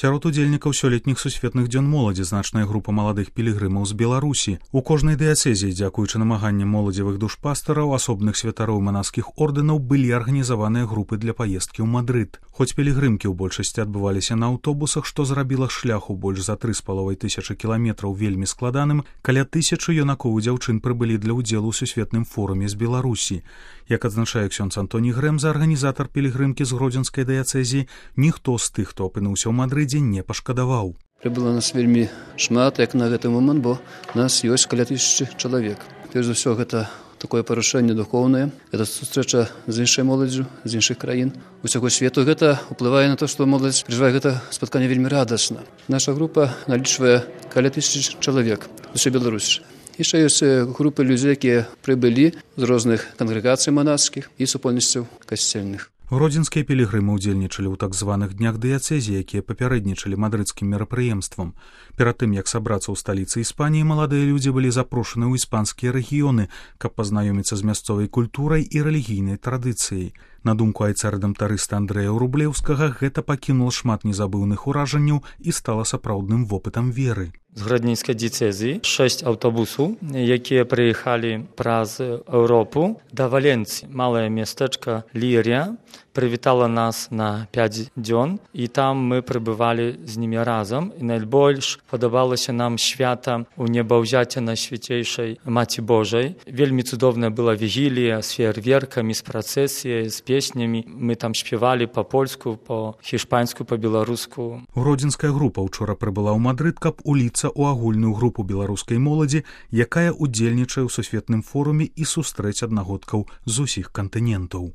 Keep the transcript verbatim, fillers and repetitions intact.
Сярод удзельнікаў сёлетніх сусветных дзён моладзі значная група маладых пілігрымаў з Беларусі. У кожнай дыяцэзіі, дзякуючы намаганням моладзевых душпастараў, асобных святароў манаскіх ордэнаў, былі арганізаваныя групы для паездкі ў Мадрыд. Хоць пілігрымкі ў большасці адбываліся на аўтобусах, што зрабіла шляху больш за тры з паловай тысячы кіламетраў вельмі складаным, каля тысячы юнакоў і дзяўчын прыбылі для ўдзелу ў сусветным форуме з Беларусі. Як адзначае ксёндз Антоній Грэмза, арганізатар пілігрымкі з гродзенскай дыяцэзіі, ніхто з тых, хто апынуўся ў Мадрыдзе, не пашкадаваў. Прыбыла нас вельмі шмат, як на гэты момант, бо нас ёсць каля тысячы чалавек. Перш за ўсё, гэта такое парушэнне духоўнае, гэта сустрэча з іншай моладдзю, з іншых краін усяго свету. Гэта ўплывае на то, што моладзь перажывае гэта спатканне вельмі радасна. Наша група налічвае каля тысячы чалавек з усёй Беларусі. Яшчэ ёсць групы людзей, якія прыбылі з розных кангрэгацый манаскіх і супольнасцяў касцельных. Гродзенскія пілігрымы ўдзельнічалі ў так званых днях дыяцэзіі, якія папярэднічалі мадрыдскім мерапрыемствам. Перад тым, як сабрацца ў сталіцы Іспаніі, маладыя людзі былі запрошаны ў іспанскія рэгіёны, каб пазнаёміцца з мясцовай культурай і рэлігійнай традыцыяй. На думку айцарэдамтарыста Андрэя Рублеўскага, гэта пакінула шмат незабыўных уражанняў і стала сапраўдным вопытам веры. З гродненскай дыяцэзіі шэсць аўтобусаў, якія прыехалі праз Еўропу да Валенцыі. Малае мястэчка Лірія прывітала нас на пяць дзён, і там мы прыбывалі з німі разам. І найбольш падабалася нам свята ў небаўзяцця Найсвяцейшай Маці Божай. Вельмі цудоўная была вігілія з феерверкамі, з працэсіяй, з песнямі. Мы там спявалі па-польску, па-хішпанску, па-беларуску. Гродзенская група ўчора прыбыла ў Мадрыд, каб уліцца ў агульную групу беларускай моладзі, якая ўдзельнічае ў сусветным форуме і сустрэць аднагодкаў з усіх кантынентаў.